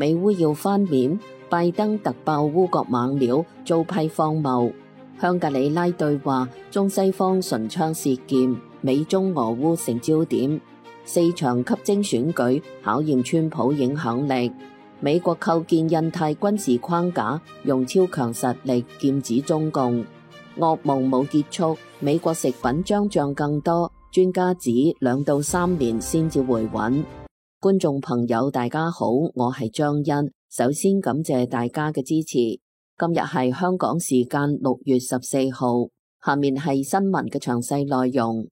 美烏要翻面，拜登突爆烏國猛料，遭批荒謬。香格里拉對話，中西方唇槍舌劍，美中俄烏成焦點。4場吸睛選舉考驗川普影響力。美國構建印太軍事框架，用超強實力劍指中共。噩夢冇結束，美國食品將漲更多，專家指2到3年先至回穩。觀眾朋友大家好，我係張欣，首先感謝大家嘅支持。今日係香港時間6月14號，下面係新聞嘅詳細內容。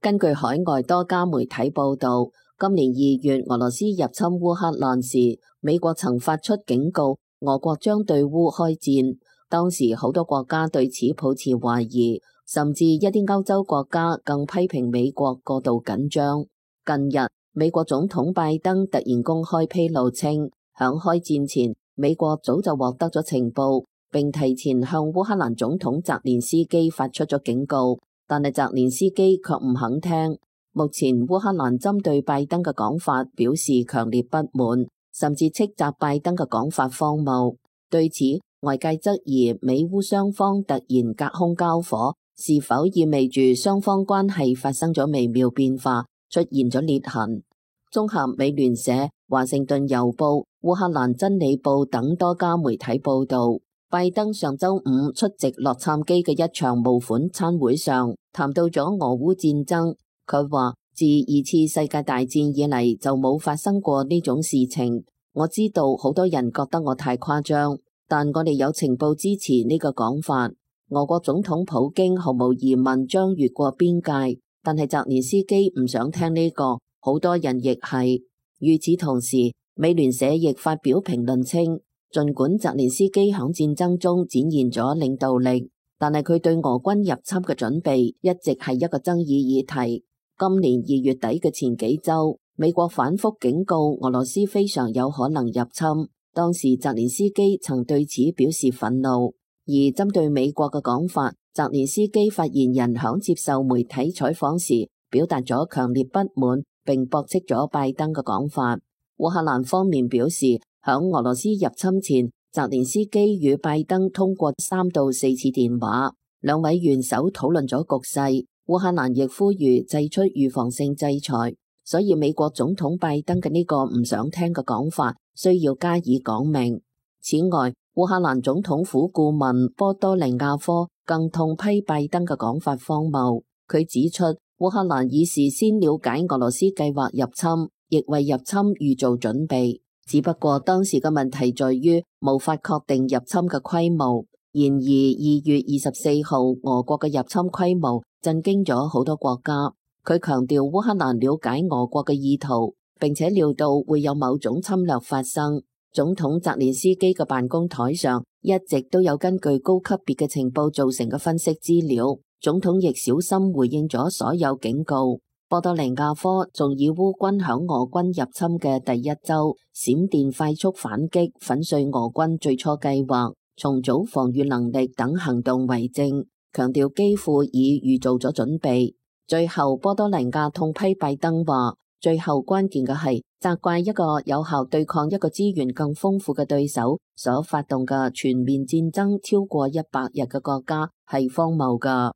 根據海外多家媒體報道，今年2月俄羅斯入侵烏克蘭時，美國曾發出警告，俄國將對烏開戰。當時好多國家對此抱持懷疑，甚至一啲歐洲國家更批評美國過度緊張。近日，美國總統拜登突然公開披露稱，響開戰前，美國早就獲得咗情報，並提前向烏克蘭總統澤連斯基發出咗警告。但係澤連斯基卻唔肯聽。目前烏克蘭針對拜登嘅講法表示強烈不滿，甚至斥責拜登嘅講法荒謬。對此，外界質疑美烏雙方突然隔空交火，是否意味住雙方關係發生咗微妙變化，出現咗裂痕？綜合美聯社、華盛頓郵報、烏克蘭真理報等多家媒體報道，拜登上周五出席洛杉磯嘅一場募款餐會上，談到咗俄烏戰爭。佢話自2次世界大戰以嚟就冇發生過呢種事情。我知道好多人覺得我太誇張，但我哋有情報支持呢個講法。俄國總統普京毫無疑問將越過邊界，但係澤連斯基唔想聽呢個，好多人亦係。與此同時，美聯社亦發表評論稱，儘管澤連斯基響戰爭中展現咗領導力，但係佢對俄軍入侵嘅準備一直係一個爭議議題。今年2月底嘅前幾週，美國反覆警告俄羅斯非常有可能入侵。當時澤連斯基曾對此表示憤怒。而針對美國嘅講法，澤連斯基發言人響接受媒體採訪時表達咗強烈不滿，並駁斥咗拜登嘅講法。烏克蘭方面表示，響俄羅斯入侵前，澤連斯基與拜登通過3到4次電話，兩位元首討論咗局勢。烏克蘭亦呼籲祭出預防性制裁，所以美國總統拜登嘅呢個唔想聽嘅講法需要加以講明。此外，烏克蘭總統府顧問波多利亞科更痛批拜登嘅講法荒謬。佢指出，烏克蘭已事先了解俄羅斯計劃入侵，亦為入侵預做準備，只不過當時嘅問題在於無法確定入侵嘅規模。然而2月24號，俄國嘅入侵規模震驚咗好多國家。佢強調烏克蘭了解俄國嘅意圖，並且料到會有某種侵略發生。總統澤連斯基嘅辦公台上一直都有根據高級別嘅情報造成嘅分析資料，總統亦小心回應咗所有警告。波多利亞科仲以烏軍響俄軍入侵嘅第一週閃電快速反擊粉碎俄軍最初計劃、重組防禦能力等行動為證，強調基輔已預做咗準備。最後，波多利亞痛批拜登話，最後關鍵嘅係責怪一個有效對抗一個資源更豐富嘅對手所發動嘅全面戰爭超過100日嘅國家係荒謬㗎。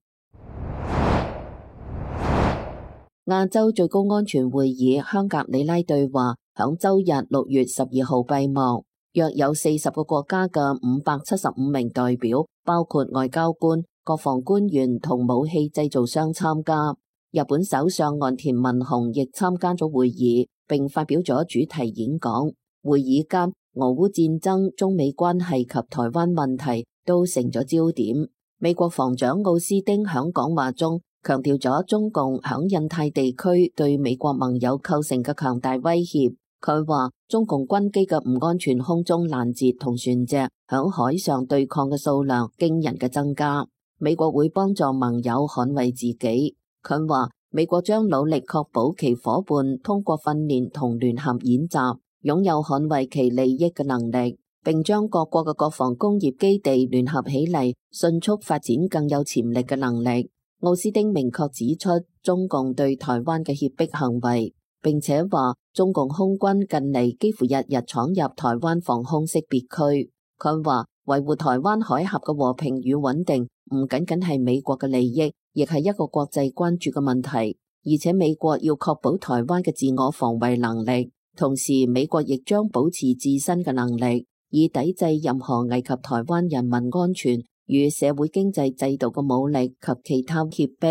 亞洲最高安全會議香格里拉對話響週日6月12號閉幕。約有40個國家嘅575名代表，包括外交官、國防官員同武器製造商參加。日本首相岸田文雄亦參加咗會議，並發表咗主題演講。會議間，俄烏戰爭、中美關係及台灣問題都成咗焦點。美國防長奧斯汀響講話中強調咗中共響印太地區對美國盟友構成嘅強大威脅。佢話中共軍機嘅唔安全空中攔截同船隻響海上對抗嘅數量驚人嘅增加，美國會幫助盟友捍衛自己。佢話美國將努力確保其夥伴通過訓練同聯合演習，擁有捍衛其利益嘅能力，並將各國嘅國防工業基地聯合起嚟，迅速發展更有潛力嘅能力。奧斯汀明確指出中共對台灣嘅脅迫行為。並且話中共空軍近嚟幾乎日日闖入台灣防空識別區。佢話維護台灣海峽嘅和平與穩定唔僅僅係美國嘅利益，亦係一個國際關注嘅問題。而且美國要確保台灣嘅自我防衛能力，同時美國亦將保持自身嘅能力，以抵制任何危及台灣人民安全與社會經濟制度嘅武力及其他脅迫。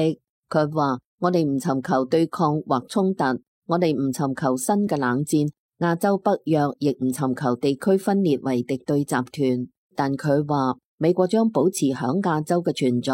佢話：我哋唔尋求對抗或衝突，我哋唔尋求新嘅冷戰，亞洲北約亦唔尋求地區分裂為敵對集團。但佢話美國將保持響亞洲嘅存在，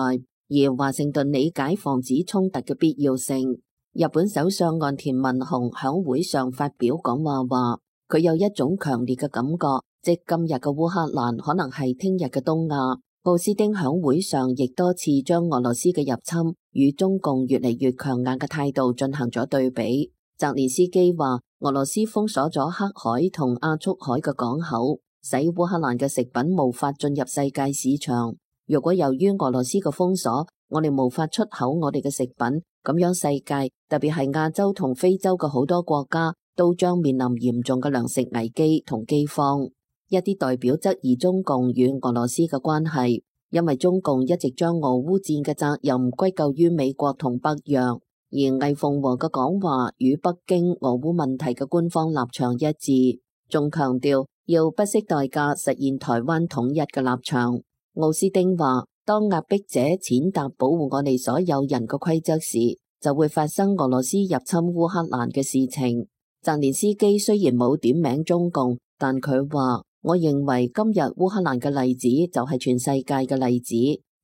而華盛頓理解防止衝突嘅必要性。日本首相岸田文雄響會上發表講話，佢有一種強烈嘅感覺，即今日嘅烏克蘭可能係聽日嘅東亞。奧斯汀響會上亦多次將俄羅斯嘅入侵與中共越嚟越強硬嘅態度進行咗對比。澤連斯基話，俄羅斯封鎖咗黑海同亞速海嘅港口，使烏克蘭嘅食品無法進入世界市場。如果由於俄羅斯嘅封鎖，我哋無法出口我哋嘅食品，咁樣世界，特別係亞洲同非洲嘅好多國家，都將面臨嚴重嘅糧食危機同饑荒。一啲代表質疑中共與俄羅斯嘅關係，因為中共一直將俄烏戰嘅責任歸咎於美國同北約，而魏鳳和嘅講話與北京俄烏問題嘅官方立場一致，仲強調要不惜代價實現台灣統一嘅立場。奧斯汀話：當壓迫者踐踏保護我哋所有人嘅規則時，就會發生俄羅斯入侵烏克蘭嘅事情。澤連斯基雖然冇點名中共，但佢話：我認為今日烏克蘭嘅例子就係全世界嘅例子，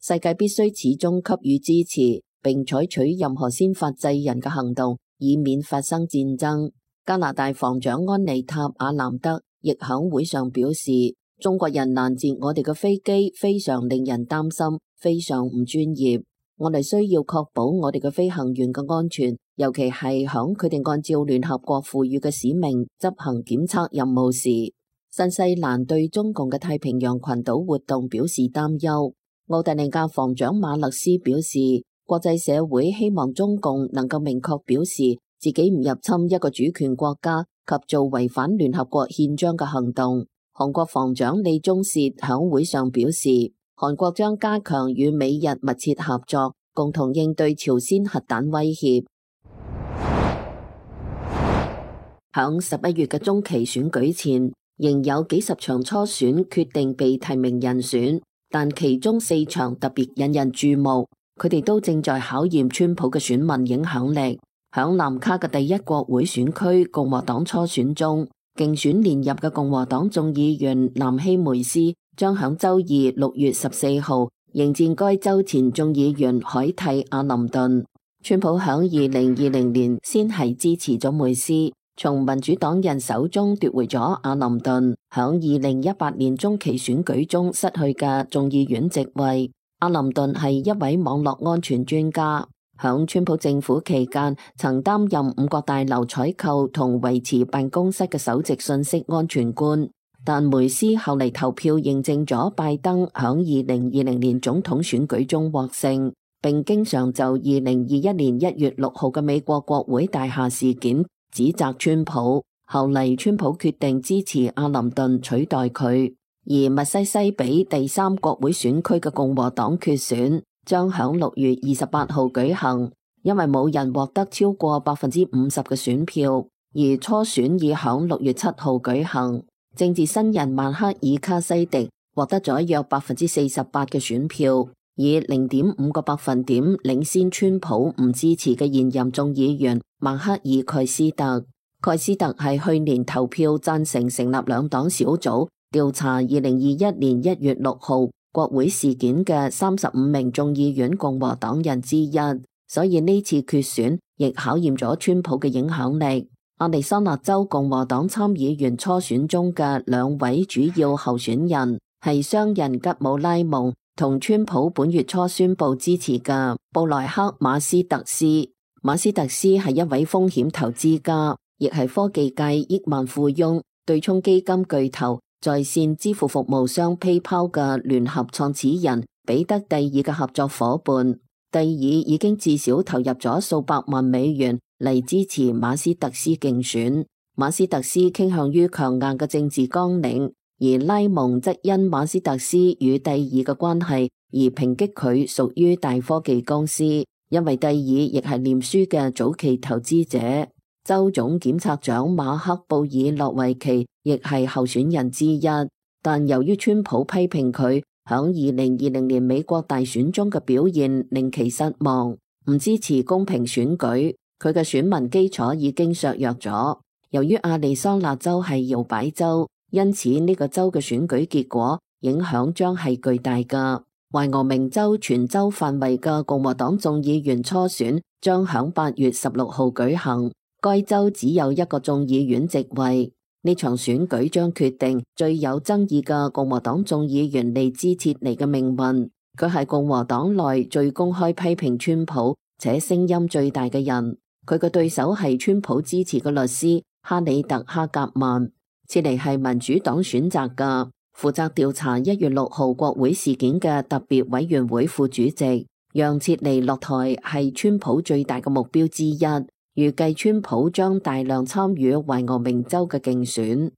世界必須始終給予支持，並採取任何先發制人嘅行動，以免發生戰爭。加拿大防長安妮塔·亞南德亦響會上表示：中國人攔截我哋嘅飛機非常令人擔心，非常唔專業。我哋需要確保我哋嘅飛行員嘅安全，尤其係響佢哋按照聯合國賦予嘅使命執行檢測任務時。新西蘭對中共嘅太平洋群島活動表示擔憂。澳大利亞防長馬勒斯表示，國際社會希望中共能夠明確表示自己唔入侵一個主權國家及做違反聯合國憲章嘅行動。韓國防長李鐘燮響會上表示，韓國將加強與美日密切合作，共同應對朝鮮核彈威脅。響11月嘅中期選舉前，仍有幾十場初選決定被提名人選，但其中4場特別引人注目，佢哋都正在考驗川普嘅選民影響力。響南卡嘅第一國會選區共和黨初選中，競選連任嘅共和黨眾議員南希梅斯將響周二6月14號迎戰該州前眾議員海蒂阿林頓。川普響2020年先係支持咗梅斯，從民主黨人手中奪回咗阿林頓響2018年中期選舉中失去嘅眾議院席位。阿林頓係一位網絡安全專家，響川普政府期間曾擔任5角大樓採購同維持辦公室嘅首席信息安全官。但梅斯後嚟投票認證咗拜登響2020年總統選舉中獲勝，並經常就2021年1月6號嘅美國國會大廈事件指責川普。後嚟川普決定支持阿林頓取代佢。而密西西比第3國會選區嘅共和黨決選將響6月28號舉行，因為冇人獲得超過50%嘅選票，而初選已響6月7號舉行。政治新人曼克爾卡西迪獲得咗約48%嘅選票，以0.5個百分點領先川普唔支持嘅現任眾議員曼克爾蓋斯特。蓋斯特係去年投票贊成成立兩黨小組調查2021年1月6號國會事件嘅35名眾議院共和黨人之一，所以呢次決選亦考驗咗川普嘅影響力。亞利桑那州共和黨參議員初選中嘅2位主要候選人係商人吉姆拉蒙同川普本月初宣布支持嘅布萊克馬斯特斯。馬斯特斯係一位風險投資家，亦係科技界億萬富翁、對沖基金巨頭、在線支付服務商 PayPal 嘅聯合創始人彼得蒂爾嘅合作夥伴。蒂爾已經至少投入咗數百萬美元嚟支持馬斯特斯競選。馬斯特斯傾向於強硬嘅政治綱領，而拉蒙則因馬斯特斯與蒂爾嘅關係而抨擊佢屬於大科技公司，因為蒂爾亦係臉書嘅早期投資者。州總檢察長馬克布爾諾維奇亦係候選人之一，但由於川普批評佢響2020年美國大選中嘅表現令其失望，唔支持公平選舉，佢嘅選民基礎已經削弱咗。由於亞利桑那州係搖擺州，因此呢個州嘅選舉結果影響將係巨大㗎。懷俄明州全州範圍嘅共和黨眾議員初選將響8月16號舉行，該州只有一個眾議院席位。呢場選舉將決定最有爭議嘅共和黨眾議員利茲切尼嘅命運。佢係共和黨內最公開批評川普且聲音最大嘅人。佢嘅對手係川普支持嘅律師哈里特哈格曼。切尼係民主黨選擇嘅，負責調查1月6號國會事件嘅特別委員會副主席。讓切尼落台係川普最大嘅目標之一。預計川普將大量參與懷俄明州嘅競選。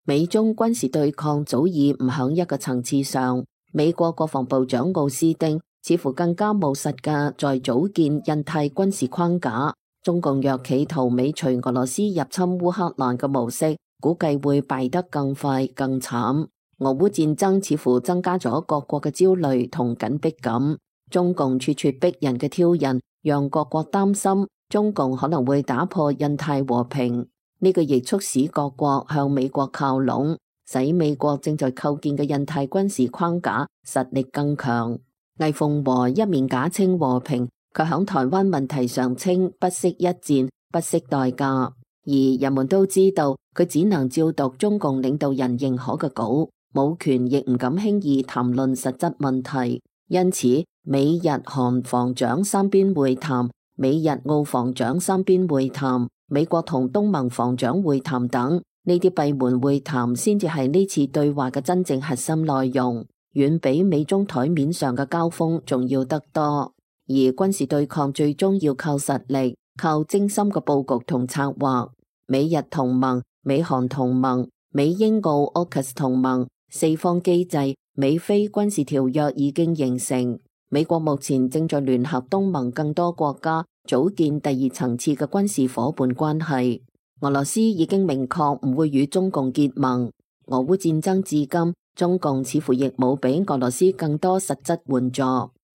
美中軍事對抗早已唔響一個層次上。美國國防部長奧斯汀似乎更加務實嘅在組建印太軍事框架。中共若企圖尾隨俄羅斯入侵烏克蘭嘅模式，估計會敗得更快更慘。俄烏戰爭似乎增加咗各國嘅焦慮同緊迫感。中共處處逼人嘅挑釁，讓各國擔心中共可能會打破印太和平。呢個亦促使各國向美國靠攏，使美國正在構建嘅印太軍事框架實力更強。魏鳳和一面假稱和平，卻響台灣問題上稱不惜一戰，不惜代價。而人們都知道佢只能照讀中共領導人認可嘅稿，冇權亦唔敢輕易談論實質問題。因此，美日韓防長三邊會談、美日澳防長三邊會談、美國同東盟防長會談等呢啲閉門會談，先至係呢次對話嘅真正核心內容，遠比美中台面上嘅交鋒重要得多。而軍事對抗最終要靠實力，靠精心嘅佈局同策劃。美日同盟、美韓同盟、美英澳 AUKUS 同盟四方機制、美菲軍事條約已經形成。美國目前正在聯合東盟更多國家組建第二層次嘅軍事夥伴關係。俄羅斯已經明確唔會與中共結盟。俄烏戰爭至今，中共似乎亦冇比俄羅斯更多實質援助。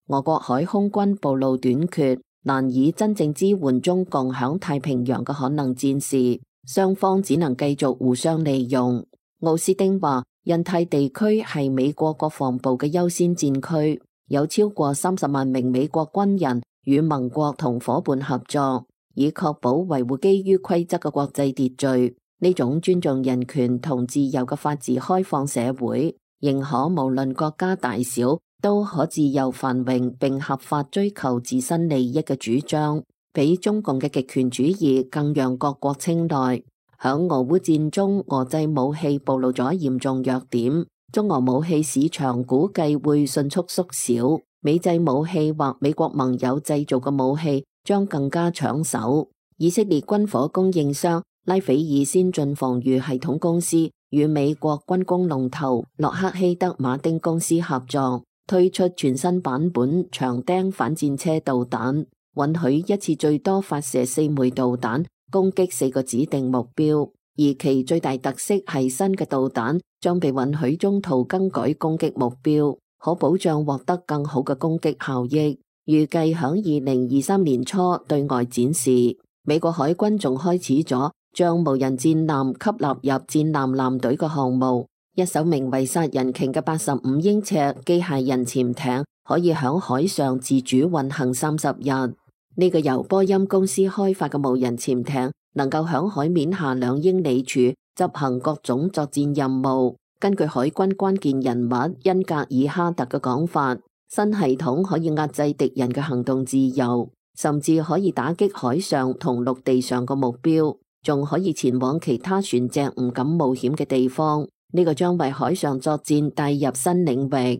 俄國海空軍暴露短缺，難以真正支援中共響太平洋嘅可能戰事，雙方只能繼續互相利用。奧斯汀話，印太地區係美國國防部嘅優先戰區，有超過30萬名美國軍人與盟國同夥伴合作，以確保維護基於規則嘅國際秩序。呢種尊重人權同自由嘅法治開放社會，認可無論國家大小都可自由繁榮並合法追求自身利益嘅主張，比中共嘅極權主義更讓各國青睞。響俄烏戰中，俄製武器暴露咗嚴重弱點，中俄武器市場估計會迅速縮小，美製武器或美國盟友製造嘅武器將更加搶手。以色列軍火供應商拉斐爾先進防禦系統公司與美國軍工龍頭洛克希德馬丁公司合作，推出全新版本長釘反戰車導彈，允許一次最多發射4枚導彈，攻擊4個指定目標。而其最大特色係新嘅導彈將被允許中途更改攻擊目標，可保障獲得更好嘅攻擊效益。預計響2023年初對外展示。美國海軍仲開始咗將無人戰艦吸納入戰艦艦隊嘅項目，一艘名為殺人鯨嘅85英尺機械人潛艇可以響海上自主運行30日。呢個由波音公司開發嘅無人潛艇能夠響海面下2英里處執行各種作戰任務。根據海軍關鍵人物恩格爾哈特嘅講法，新系統可以壓制敵人嘅行動自由，甚至可以打擊海上同陸地上嘅目標，仲可以前往其他船隻唔敢冒險嘅地方。呢個將為海上作戰帶入新領域。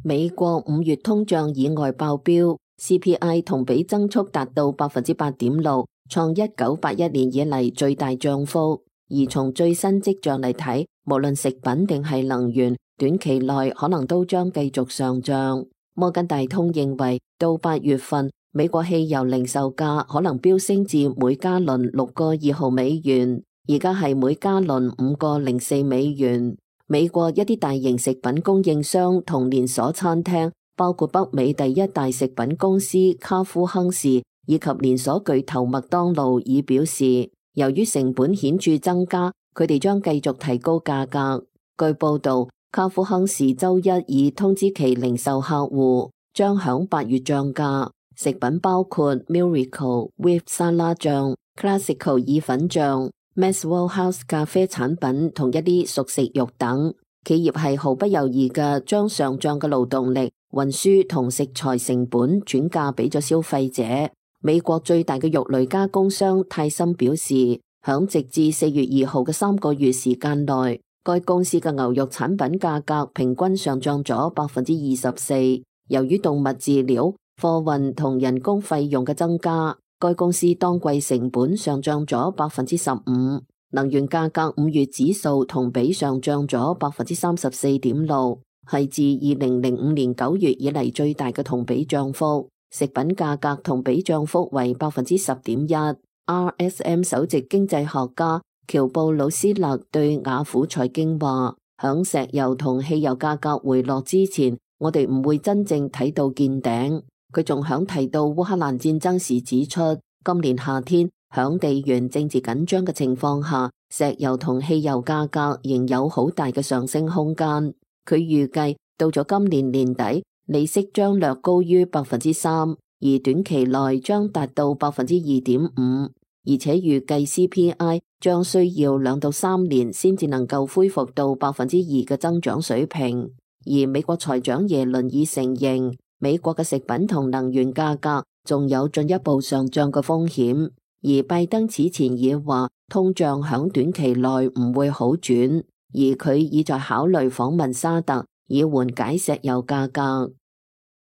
美國5月通脹意外爆標 ，CPI 同比增速達到8.6%，創1981年以嚟最大漲幅。而從最新跡象嚟睇，無論食品定係能源，短期內可能都將繼續上漲。摩根大通認為，到8月份，美國汽油零售價可能飆升至每加侖$6.2，而家係每加侖$5.04。美國一啲大型食品供應商同連鎖餐廳，包括北美第一大食品公司卡夫亨氏以及連鎖巨頭麥當勞已表示，由於成本顯著增加，佢哋將繼續提高價格。據報道，卡夫亨氏周一已通知其零售客戶，將響8月漲價。食品包括 Miracle Whip 沙拉醬、Classical 意粉醬、Maxwell House 咖啡產品同一啲熟食肉等。企業係毫不猶豫嘅將上漲嘅勞動力、運輸同食材成本轉嫁俾咗消費者。美國最大嘅肉類加工商泰森表示，響直至4月2號嘅3個月時間內，該公司嘅牛肉產品價格平均上漲咗24%。由於動物飼料、貨運同人工費用嘅增加，該公司當季成本上漲咗15%。能源價格5月指數同比上漲咗34.6%，係自2005年9月以嚟最大嘅同比漲幅。食品價格同比漲幅為10.1%。RSM 首席經濟學家喬布魯斯勒對雅虎財經話：響石油同汽油價格回落之前，我哋唔會真正睇到見頂。佢仲響提到烏克蘭戰爭時指出，今年夏天響地緣政治緊張嘅情況下，石油同汽油價格仍有好大嘅上升空間。佢預計到咗今年年底，利息將略高於3%，而短期內將達到2.5%，而且預計 CPI 將需要2到3年先至能夠恢復到2%嘅增長水平。而美國財長耶倫已承認，美國嘅食品同能源價格仲有進一步上漲嘅風險。而拜登此前已話，通脹響短期內唔會好轉，而佢已在考慮訪問沙特，以緩解石油價格。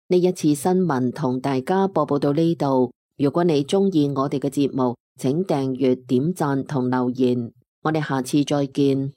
呢一次新聞同大家播報到呢度。如果你鍾意我哋嘅節目，請訂閱、點讚同留言。我哋下次再見。